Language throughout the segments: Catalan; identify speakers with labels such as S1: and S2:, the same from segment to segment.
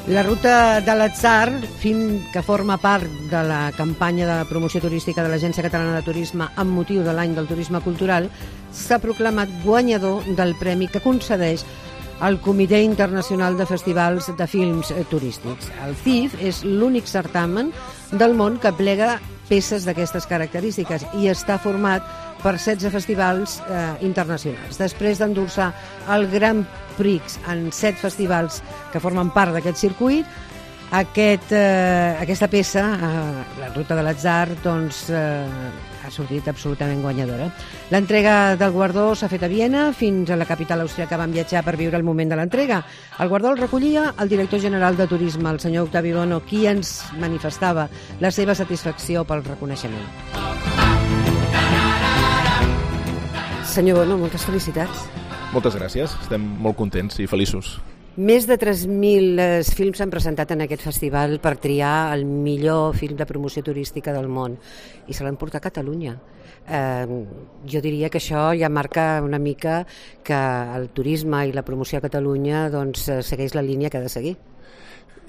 S1: La ruta de l'Atzar, film que forma part de la campanya de promoció turística de l'Agència Catalana de Turisme amb motiu de l'any del turisme cultural, s'ha proclamat guanyador del premi que concedeix el Comitè Internacional de Festivals de Films Turístics. El CIF és l'únic certamen del món que plega peces d'aquestes característiques i està format per 16 festivals internacionals. Després d'endur-se el Grand Prix en 7 festivals que formen part d'aquest circuit, aquesta peça, la Ruta de l'Atzar, doncs, ha sortit absolutament guanyadora. L'entrega del guardó s'ha fet a Viena, fins a la capital austríaca van viatjar per viure el moment de l'entrega. El guardó el recollia el director general de Turisme, el senyor Octavi Bono, qui ens manifestava la seva satisfacció pel reconeixement. Senyor Bono, moltes felicitats.
S2: Moltes gràcies, estem molt contents i feliços.
S1: Més de 3.000 films s'han presentat en aquest festival per triar el millor film de promoció turística del món i se l'han portat a Catalunya. Jo diria que això ja marca una mica que el turisme i la promoció a Catalunya doncs, segueix la línia que ha de seguir.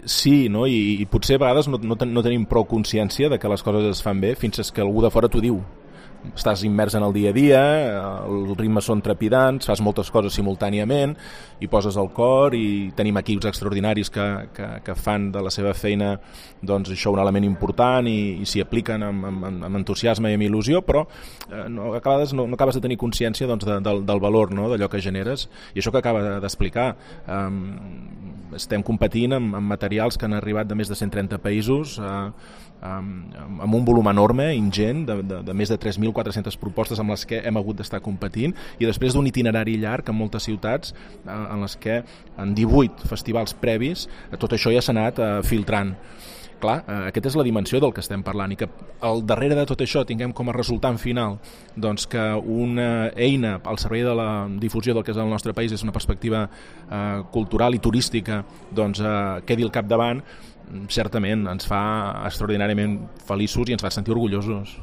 S2: Sí, no? I potser a vegades no tenim prou consciència de que les coses es fan bé fins que algú de fora t'ho diu. Estàs immers en el dia a dia, els ritmes són trepidants, fas moltes coses simultàniament i poses el cor, i tenim equips extraordinaris que fan de la seva feina doncs, això un element important i s'hi apliquen amb entusiasme i amb il·lusió, però no acabes de tenir consciència doncs, del valor, no?, d'allò que generes. I això que acaba d'explicar, estem competint amb materials que han arribat de més de 130 països, amb un volum enorme, ingent, de més de 3.400 propostes amb les que hem hagut d'estar competint, i després d'un itinerari llarg en moltes ciutats en les que en 18 festivals previs tot això ja s'ha anat filtrant. Clar, aquesta és la dimensió del que estem parlant, i que al darrere de tot això tinguem com a resultant final doncs que una eina al servei de la difusió del que és el nostre país és una perspectiva cultural i turística, doncs quedi al capdavant, certament ens fa extraordinàriament feliços i ens fa sentir orgullosos.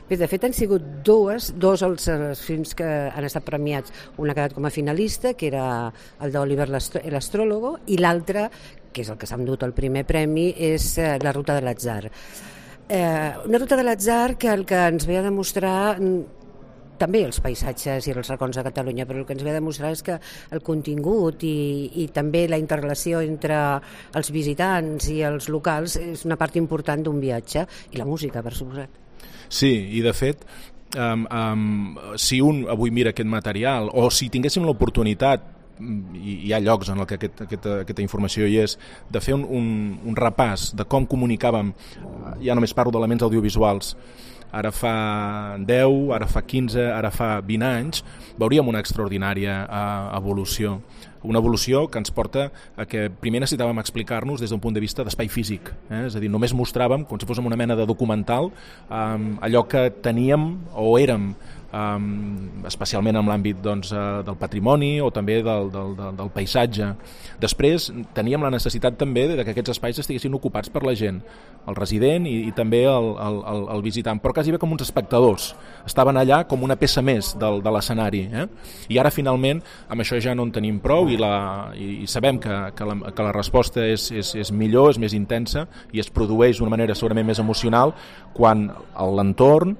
S1: Bé, de fet han sigut dos els films que han estat premiats. Un ha quedat com a finalista, que era el d'Oliver l'Astròlogo, i l'altre, que és el que s'ha endut el primer premi, és la Ruta de l'Atzar. Una Ruta de l'Atzar que el que ens ve a demostrar, també els paisatges i els racons de Catalunya, però el que ens ve a demostrar és que el contingut i també la interrelació entre els visitants i els locals és una part important d'un viatge, i la música, per suposat.
S2: Sí, i de fet, si un avui mira aquest material, o si tinguéssim l'oportunitat, i hi ha llocs en què aquesta informació hi és, de fer un repàs de com comunicàvem, ja només parlo d'elements audiovisuals, ara fa 10, ara fa 15, ara fa 20 anys, veuríem una extraordinària evolució. Una evolució que ens porta a que primer necessitàvem explicar-nos des d'un punt de vista d'espai físic. És a dir, només mostràvem, com si fóssim una mena de documental, allò que teníem o érem, especialment en l'àmbit doncs, del patrimoni o també del paisatge. Després teníem la necessitat també de que aquests espais estiguessin ocupats per la gent, el resident i també el visitant, però quasi bé com uns espectadors. Estaven allà com una peça més de l'escenari. I ara finalment amb això ja no en tenim prou, i sabem que la resposta és millor, és més intensa i es produeix d'una manera segurament més emocional quan l'entorn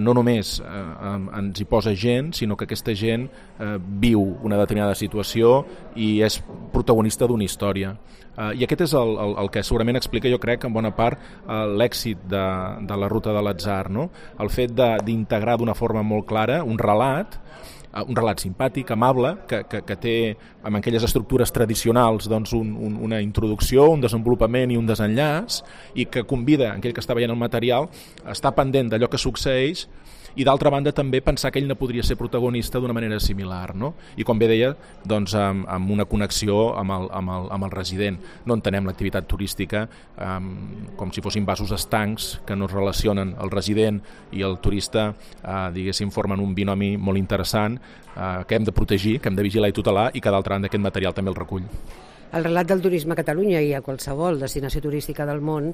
S2: no només ens hi posa gent, sinó que aquesta gent viu una determinada situació i és protagonista d'una història. I aquest és el que segurament explica, jo crec, en bona part l'èxit de la Ruta de l'Atzar, no? El fet d'integrar d'una forma molt clara un relat simpàtic, amable, que té amb aquelles estructures tradicionals doncs, una introducció, un desenvolupament i un desenllaç, i que convida aquell que està veient el material a estar pendent d'allò que succeeix, i d'altra banda també pensar que ell no podria ser protagonista d'una manera similar, no? I com bé deia, doncs, amb una connexió amb el resident. No entenem l'activitat turística com si fossin vasos estancs que no es relacionen el resident i el turista, diguéssim, formen un binomi molt interessant que hem de protegir, que hem de vigilar i tutelar, i que d'altra banda aquest material també el recull.
S1: El relat del turisme a Catalunya i a qualsevol destinació turística del món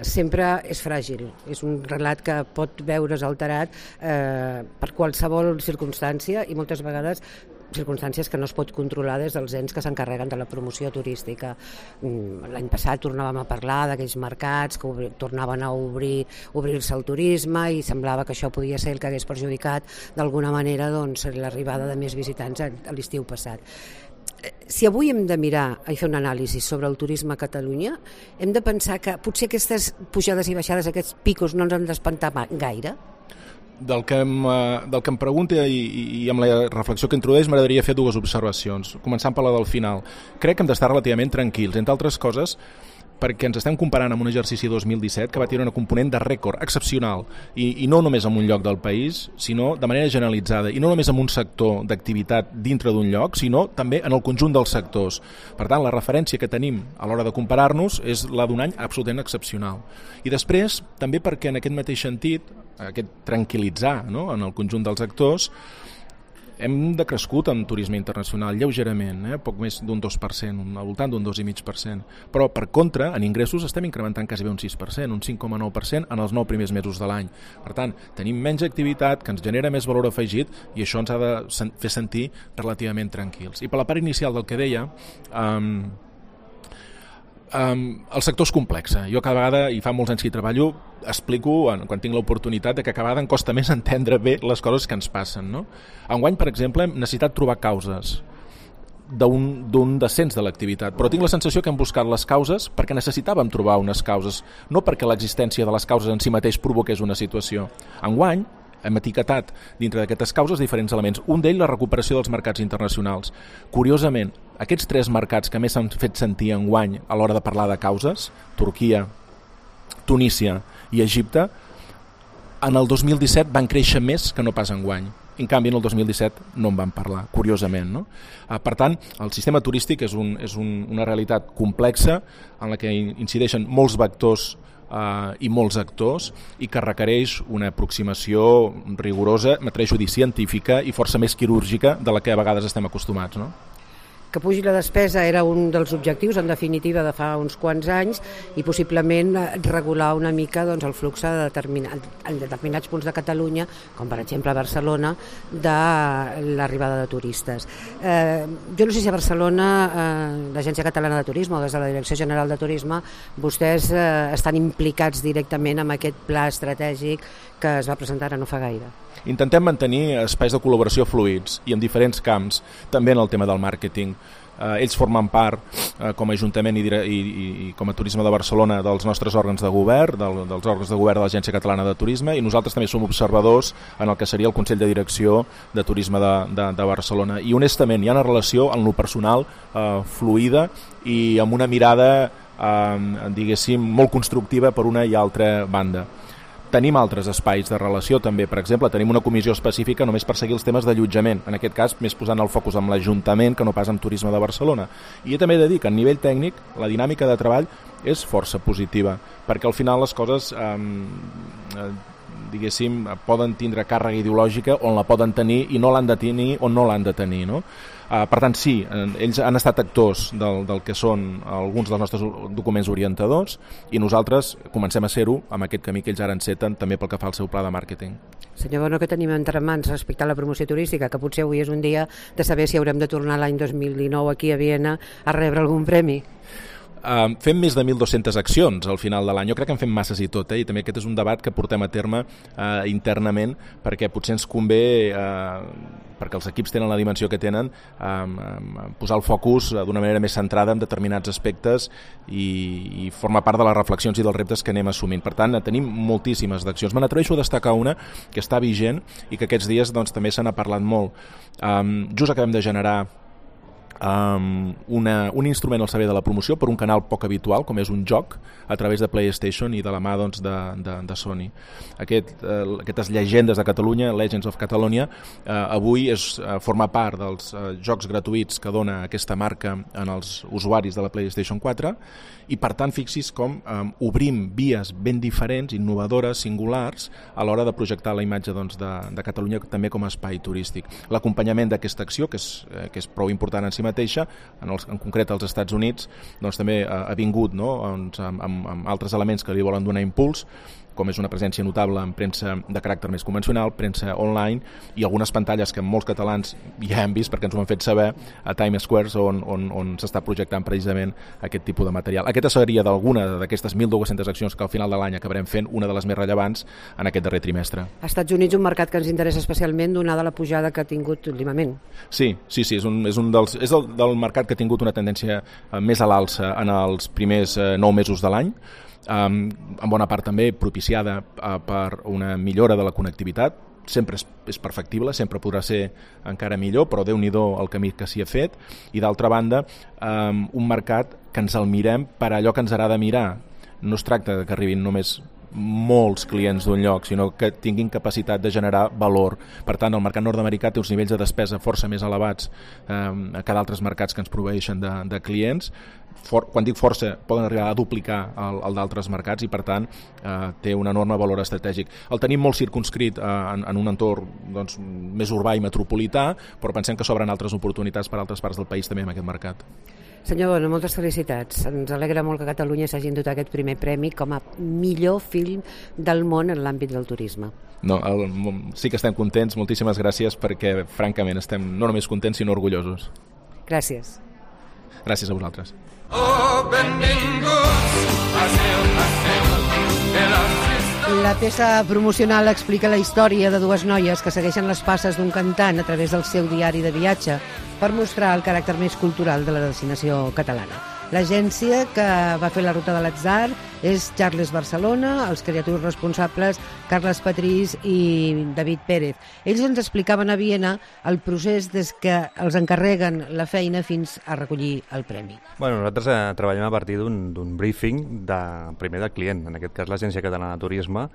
S1: sempre és fràgil. És un relat que pot veure's alterat per qualsevol circumstància i moltes vegades circumstàncies que no es pot controlar des dels ens que s'encarreguen de la promoció turística. L'any passat tornàvem a parlar d'aquells mercats que tornaven a obrir-se al turisme i semblava que això podia ser el que hagués perjudicat d'alguna manera l'arribada de més visitants a l'estiu passat. Si avui hem de mirar i fer un anàlisi sobre el turisme a Catalunya, hem de pensar que potser aquestes pujades i baixades, aquests picos, no ens han d'espantar gaire?
S2: Del que em pregunta i amb la reflexió que introdueix m'agradaria fer dues observacions, començant per la del final. Crec que hem d'estar relativament tranquils, entre altres coses perquè ens estem comparant amb un exercici 2017 que va tenir una component de rècord excepcional i no només en un lloc del país, sinó de manera generalitzada, i no només en un sector d'activitat dintre d'un lloc, sinó també en el conjunt dels sectors. Per tant, la referència que tenim a l'hora de comparar-nos és la d'un any absolutament excepcional. I després, també perquè en aquest mateix sentit, aquest tranquil·litzar, no?, en el conjunt dels actors, hem decrescut en turisme internacional lleugerament, poc més d'un 2%, al voltant d'un 2,5%. Però, per contra, en ingressos estem incrementant quasi bé un 6%, un 5,9% en els 9 primers mesos de l'any. Per tant, tenim menys activitat, que ens genera més valor afegit, i això ens ha de fer sentir relativament tranquils. I per la part inicial del que deia, el sector és complex. Jo cada vegada, i fa molts anys que hi treballo, explico, quan tinc l'oportunitat, que cada vegada em costa més entendre bé les coses que ens passen, no? Enguany, per exemple, hem necessitat trobar causes d'un descens de l'activitat, però tinc la sensació que hem buscat les causes perquè necessitàvem trobar unes causes, no perquè l'existència de les causes en si mateix provoqués una situació. Enguany, hem etiquetat dintre d'aquestes causes diferents elements. Un d'ells, la recuperació dels mercats internacionals. Curiosament, aquests 3 mercats que més s'han fet sentir enguany a l'hora de parlar de causes, Turquia, Tunísia i Egipte, en el 2017 van créixer més que no pas enguany. En canvi, en el 2017 no en van parlar, curiosament, no? Per tant, el sistema turístic és una realitat complexa en la que incideixen molts vectors i molts actors i que requereix una aproximació rigorosa, m'atreveixo a dir científica i força més quirúrgica de la que a vegades estem acostumats, no?
S1: Que pugi la despesa era un dels objectius, en definitiva, de fa uns quants anys, i possiblement regular una mica el flux en determinats punts de Catalunya, com per exemple a Barcelona, de l'arribada de turistes. Jo no sé si a Barcelona, l'Agència Catalana de Turisme o des de la Direcció General de Turisme, vostès estan implicats directament en aquest pla estratègic que es va presentar ara no fa gaire.
S2: Intentem mantenir espais de col·laboració fluids i en diferents camps, també en el tema del màrqueting. Ells formen part, com a Ajuntament i com a Turisme de Barcelona, dels nostres òrgans de govern, dels òrgans de govern de l'Agència Catalana de Turisme, i nosaltres també som observadors en el que seria el Consell de Direcció de Turisme de Barcelona. I honestament hi ha una relació en lo personal fluida i amb una mirada, diguéssim, molt constructiva per una i altra banda. Tenim altres espais de relació també, per exemple, tenim una comissió específica només per seguir els temes d'allotjament, en aquest cas més posant el focus amb l'Ajuntament que no pas amb Turisme de Barcelona. I jo també he de dir que a nivell tècnic la dinàmica de treball és força positiva, perquè al final les coses diguéssim, poden tindre càrrega ideològica on la poden tenir i no l'han de tenir on no l'han de tenir, no? Per tant, sí, ells han estat actors del que són alguns dels nostres documents orientadors i nosaltres comencem a ser-ho amb aquest camí que ells ara enceten també pel que fa al seu pla de màrqueting.
S1: Senyor Bono, què tenim entre mans respecte a la promoció turística? Que potser avui és un dia de saber si haurem de tornar l'any 2019 aquí a Viena a rebre algun premi.
S2: Fem més de 1.200 accions al final de l'any. Jo crec que en fem masses i tot, i també aquest és un debat que portem a terme internament perquè potser ens convé, perquè els equips tenen la dimensió que tenen, posar el focus d'una manera més centrada en determinats aspectes i formar part de les reflexions i dels reptes que anem assumint. Per tant, tenim moltíssimes d'accions. Me n'atreveixo a destacar una que està vigent i que aquests dies també se n'ha parlat molt. Just acabem de generar un instrument al servei de la promoció per un canal poc habitual com és un joc a través de PlayStation i de la mà de Sony. Aquestes llegendes de Catalunya, Legends of Catalonia, avui forma part dels jocs gratuïts que dona aquesta marca en els usuaris de la PlayStation 4 i per tant fixis com obrim vies ben diferents, innovadores, singulars a l'hora de projectar la imatge de Catalunya també com a espai turístic. L'acompanyament d'aquesta acció, que és prou important en si mateixa, en concret als Estats Units, també ha vingut amb altres elements que li volen donar impuls com és una presència notable en premsa de caràcter més convencional, premsa online i algunes pantalles que molts catalans ja hem vist perquè ens ho han fet saber a Times Square on s'està projectant precisament aquest tipus de material. Aquesta seria d'alguna d'aquestes 1.200 accions que al final de l'any acabarem fent una de les més rellevants en aquest darrer trimestre.
S1: Als Estats Units un mercat que ens interessa especialment donada la pujada que ha tingut últimament.
S2: Sí, és del mercat que ha tingut una tendència més a l'alça en els primers 9 mesos de l'any, en bona part també propiciada per una millora de la connectivitat. Sempre és perfectible, sempre podrà ser encara millor, però Déu-n'hi-do el camí que s'hi ha fet. I d'altra banda, un mercat que ens el mirem per allò que ens agrada mirar. No es tracta que arribin només molts clients d'un lloc, sinó que tinguin capacitat de generar valor. Per tant, el mercat nord-americà té uns nivells de despesa força més elevats que d'altres mercats que ens proveeixen de clients. Quan dic força, poden arribar a duplicar el d'altres mercats i, per tant, té un enorme valor estratègic. El tenim molt circumscrit en un entorn més urbà i metropolità, però pensem que s'obren altres oportunitats per altres parts del país també en aquest mercat.
S1: Senyor Bono, moltes felicitats. Ens alegra molt que Catalunya s'hagi endut aquest primer premi com a millor film del món en l'àmbit del turisme.
S2: No, sí que estem contents, moltíssimes gràcies, perquè francament estem no només contents sinó orgullosos.
S1: Gràcies.
S2: Gràcies a vosaltres.
S1: La peça promocional explica la història de dues noies que segueixen les passes d'un cantant a través del seu diari de viatge per mostrar el caràcter més cultural de la destinació catalana. L'agència que va fer la ruta de l'atzar és Charles Barcelona, els creatius responsables Carles Patrís i David Pérez. Ells ens explicaven a Viena el procés des que els encarreguen la feina fins a recollir el premi.
S3: Bueno, nosaltres treballem a partir d'un briefing primer del client, en aquest cas l'Agència Catalana de Turisme,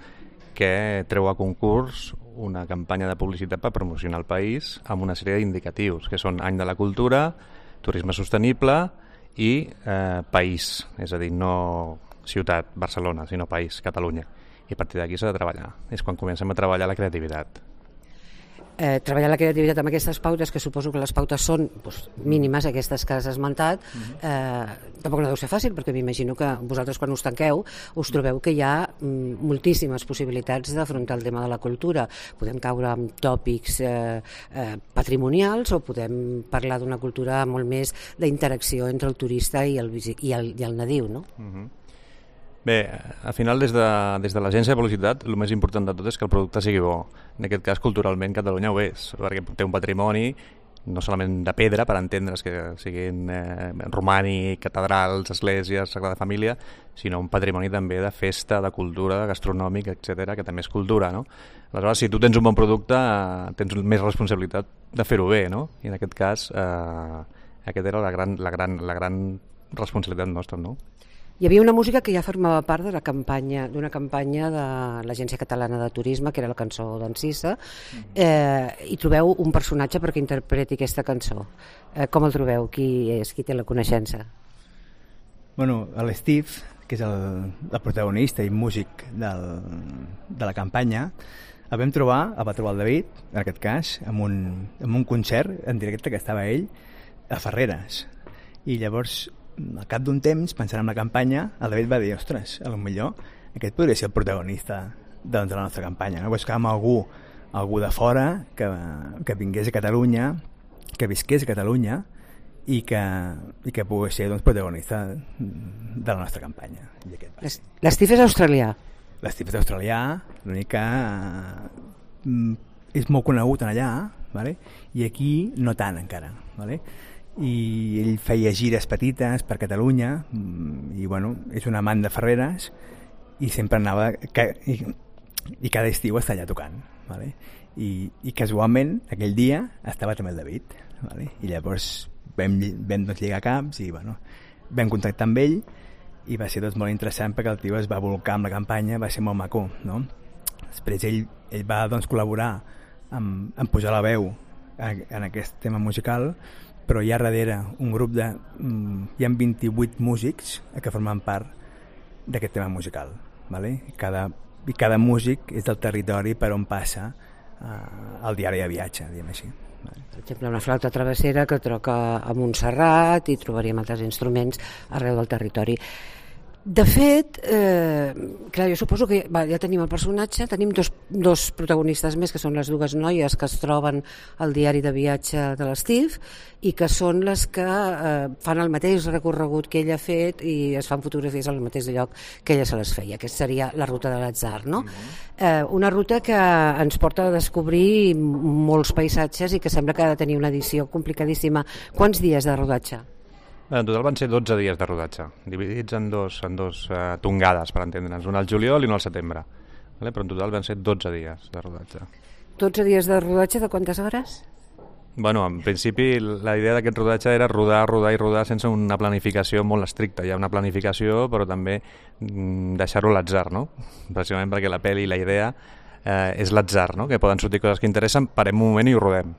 S3: que treu a concurs una campanya de publicitat per promocionar el país amb una sèrie d'indicatius, que són Any de la Cultura, Turisme Sostenible i país, és a dir, no ciutat, Barcelona, sinó país, Catalunya. I a partir d'aquí s'ha de treballar. És quan comencem a treballar la creativitat.
S1: Treballar la creativitat amb aquestes pautes, que suposo que les pautes són mínimes, aquestes que has esmentat, tampoc no deu ser fàcil, perquè m'imagino que vosaltres quan us tanqueu us trobeu que hi ha moltíssimes possibilitats d'afrontar el tema de la cultura. Podem caure en tòpics patrimonials o podem parlar d'una cultura molt més d'interacció entre el turista i el nadiu, no?
S3: Bé, al final des de l'agència de publicitat el més important de tot és que el producte sigui bo. En aquest cas, culturalment, Catalunya ho és, perquè té un patrimoni no solament de pedra, per entendre's que siguin romànic, catedrals, esglésies, Sagrada Família, sinó un patrimoni també de festa, de cultura, gastronòmic, etc, que també és cultura, no? Aleshores, si tu tens un bon producte, tens més responsabilitat de fer-ho bé, no? I en aquest cas, aquesta era la gran responsabilitat nostra, no?
S1: Hi havia una música que ja formava part d'una campanya de l'Agència Catalana de Turisme, que era la cançó d'Encisa, i trobeu un personatge perquè interpreti aquesta cançó. Com el trobeu? Qui és? Qui té la coneixença?
S4: Bueno, l'Steve, que és el protagonista i músic de la campanya, el va trobar el David, en aquest cas, en un concert en directe que estava ell a Ferreres. I llavors, al cap d'un temps, pensant en la campanya, el David va dir, ostres, potser aquest podria ser el protagonista de la nostra campanya, no? Buscàvem algú de fora que vingués a Catalunya, que visqués a Catalunya i que pogués ser protagonista de la nostra campanya.
S1: L'Steve és australià?
S4: L'Steve és australià, l'únic que és molt conegut allà, ¿vale? I aquí no tant encara, ¿vale? I ell feia gires petites per Catalunya i bueno, és un amant de Ferreres i sempre anava i cada estiu està allà tocant, ¿vale? I casualment aquell dia estava també el David, ¿vale? I llavors vam lligar caps i bueno, vam contactar amb ell i va ser molt interessant perquè el tio es va volcar amb la campanya, va ser molt maco, no? Després ell va col·laborar en posar la veu en aquest tema musical, però hi ha darrere un grup hi ha 28 músics que formen part d'aquest tema musical, ¿vale? I cada músic és del territori per on passa el diari de viatge, diguem així.
S1: Per exemple, una flauta travessera que toca a Montserrat i trobaríem altres instruments arreu del territori. De fet, clar, jo suposo que ja tenim el personatge, tenim dos protagonistes més, que són les dues noies que es troben al diari de viatge de l'Steve i que són les que fan el mateix recorregut que ella ha fet i es fan fotografies al mateix lloc que ella se les feia. Aquesta seria la ruta de l'atzar, no? Una ruta que ens porta a descobrir molts paisatges i que sembla que ha de tenir una edició complicadíssima. Quants dies de rodatge?
S3: En total van ser 12 dies de rodatge, dividits en dos tongades, per entendre'ns, una al juliol i una al setembre. Però en total van ser 12 dies de rodatge.
S1: 12 dies de rodatge de quantes hores?
S3: Bueno, en principi la idea d'aquest rodatge era rodar sense una planificació molt estricta. Hi ha una planificació, però també deixar-ho a l'atzar, no? Precisament perquè la pel·li i la idea és l'atzar, no? Que poden sortir coses que interessen, parem un moment i ho rodem.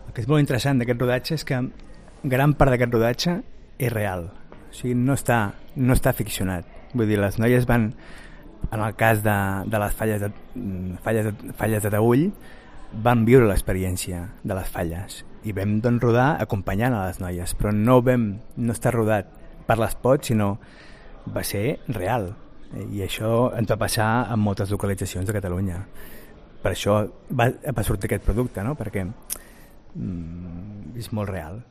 S4: El que és molt interessant d'aquest rodatge és que gran part d'aquest rodatge és real, o sigui, no està ficcionat. Vull dir, les noies van, en el cas de les falles de Taüll, van viure l'experiència de les falles i vam doncs rodar acompanyant a les noies, però no està rodat per l'espot, sinó va ser real, i això ens va passar en moltes localitzacions de Catalunya. Per això va sortir aquest producte, no? Perquè és molt real.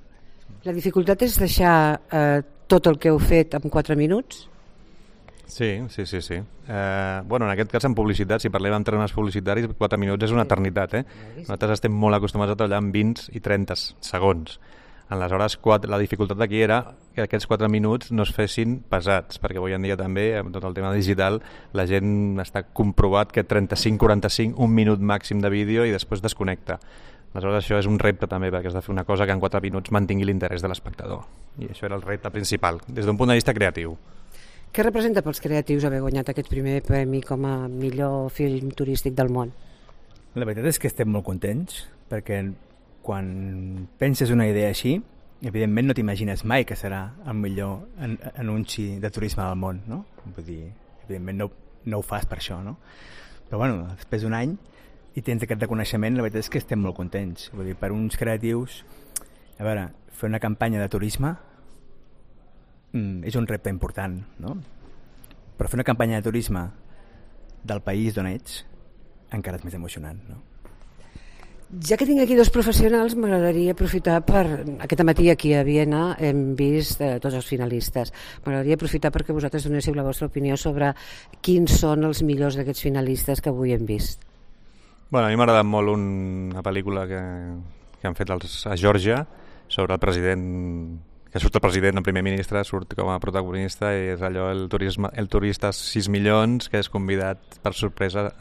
S1: La dificultat és deixar tot el que heu fet en 4 minuts?
S3: Sí. Bueno, en aquest cas, en publicitat, si parlem en termes publicitaris, 4 minuts és una eternitat. Nosaltres estem molt acostumats a treballar en 20 i 30 segons. Aleshores, la dificultat aquí era que aquests 4 minuts no es fessin pesats, perquè avui en dia també, amb tot el tema digital, la gent està comprovat que 35-45, un minut màxim de vídeo i després desconnecta. Aleshores, això és un repte també, perquè has de fer una cosa que en 4 minuts mantingui l'interès de l'espectador. I això era el repte principal, des d'un punt de vista creatiu.
S1: Què representa pels creatius haver guanyat aquest primer premi com a millor film turístic del món?
S4: La veritat és que estem molt contents, perquè quan penses una idea així, evidentment no t'imagines mai que serà el millor anunci de turisme del món, no? Vull dir, evidentment no ho fas per això, no? Però bueno, després d'un any i tens aquest reconeixement, la veritat és que estem molt contents. Vull dir, per uns creatius, a veure, fer una campanya de turisme és un repte important, no? Però fer una campanya de turisme del país d'on ets encara és més emocionant, no?
S1: Ja que tinc aquí dos professionals, m'agradaria aprofitar per... Aquest matí aquí a Viena hem vist tots els finalistes. M'agradaria aprofitar perquè vosaltres donéssiu la vostra opinió sobre quins són els millors d'aquests finalistes que avui hem vist.
S3: Bueno, a mi m'ha agradat molt una pel·lícula que han fet a Geòrgia sobre el president, que surt el president, el primer ministre, surt com a protagonista i és allò, el turista 6 milions que és convidat per sorpresa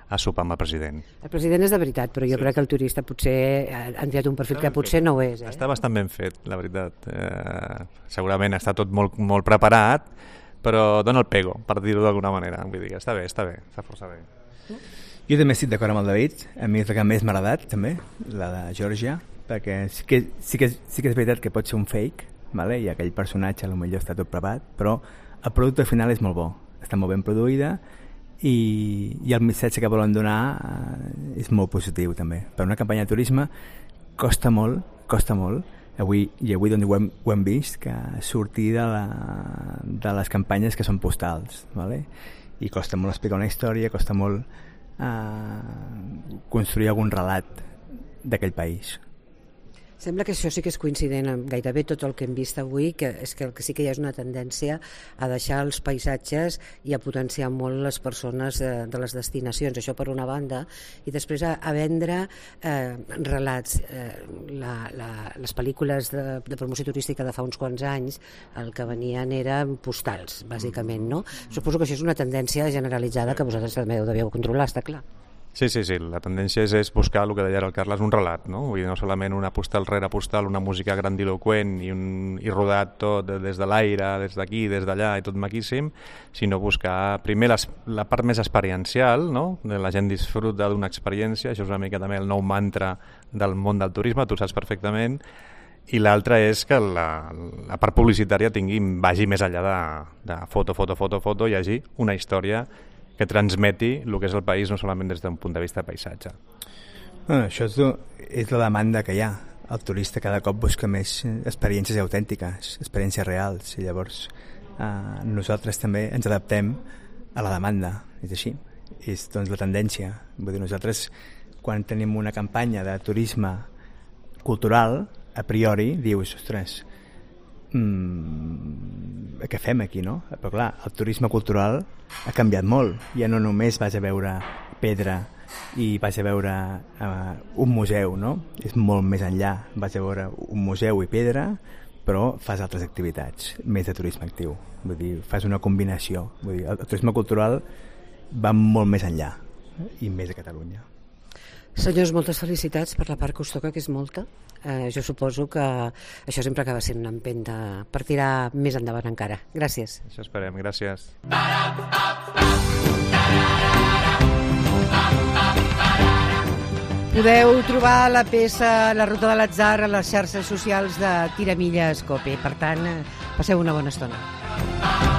S3: a sopar amb el president.
S1: El president és de veritat, però jo crec que el turista potser ha enviat un perfil que potser no ho és.
S3: Està bastant ben fet, la veritat. Segurament està tot molt, molt preparat, però dona el pego, per dir-ho d'alguna manera. Vull dir, està bé, està força bé.
S4: Jo també estic d'acord amb el David, a mi és la que més m'ha agradat també, la de Geòrgia, perquè sí que és veritat que pot ser un fake, vale? I aquell personatge potser està tot preparat, però el producte final és molt bo, està molt ben produïda i el missatge que volen donar és molt positiu també. Per una campanya de turisme costa molt, avui doncs ho hem vist, que sortir de les campanyes que són postals, vale? I costa molt explicar una història, costa molt construir algun relat d'aquell país.
S1: Sembla que això sí que és coincident amb gairebé tot el que hem vist avui, que és que sí que hi ha una tendència a deixar els paisatges i a potenciar molt les persones de les destinacions, això per una banda, i després a vendre relats. Les pel·lícules de promoció turística de fa uns quants anys el que venien eren postals, bàsicament, no? Suposo que això és una tendència generalitzada que vosaltres també ho devíeu controlar, està clar.
S3: Sí, la tendència és buscar el que deia el Carles, un relat, no? Vull dir, no solament una postal rere postal, una música grandiloquent i rodat tot des de l'aire, des d'aquí, des d'allà i tot maquíssim, sinó buscar primer la part més experiencial, no? La gent disfruta d'una experiència, això és una mica també el nou mantra del món del turisme, tu saps perfectament, i l'altra és que la part publicitària vagi més enllà de foto, hi hagi una història que transmeti el que és el país, no solament des d'un punt de vista de paisatge.
S4: Això és la demanda que hi ha. El turista cada cop busca més experiències autèntiques, experiències reals, i llavors nosaltres també ens adaptem a la demanda, és així, és doncs la tendència. Vull dir, nosaltres quan tenim una campanya de turisme cultural, a priori dius, ostres, què fem aquí, no? Però clar, el turisme cultural ha canviat molt, ja no només vas a veure pedra i vas a veure un museu, no? És molt més enllà, vas a veure un museu i pedra, però fas altres activitats, més de turisme actiu, vull dir, fas una combinació, vull dir, el turisme cultural va molt més enllà i més a Catalunya.
S1: Senyors, moltes felicitats per la part que us toca, que és molta. Jo suposo que això sempre acaba sent una empenta per tirar més endavant encara. Gràcies.
S3: Això esperem, gràcies.
S1: Podeu trobar la peça La ruta de l'atzar a les xarxes socials de Tiramilles Cope. Per tant, passeu una bona estona.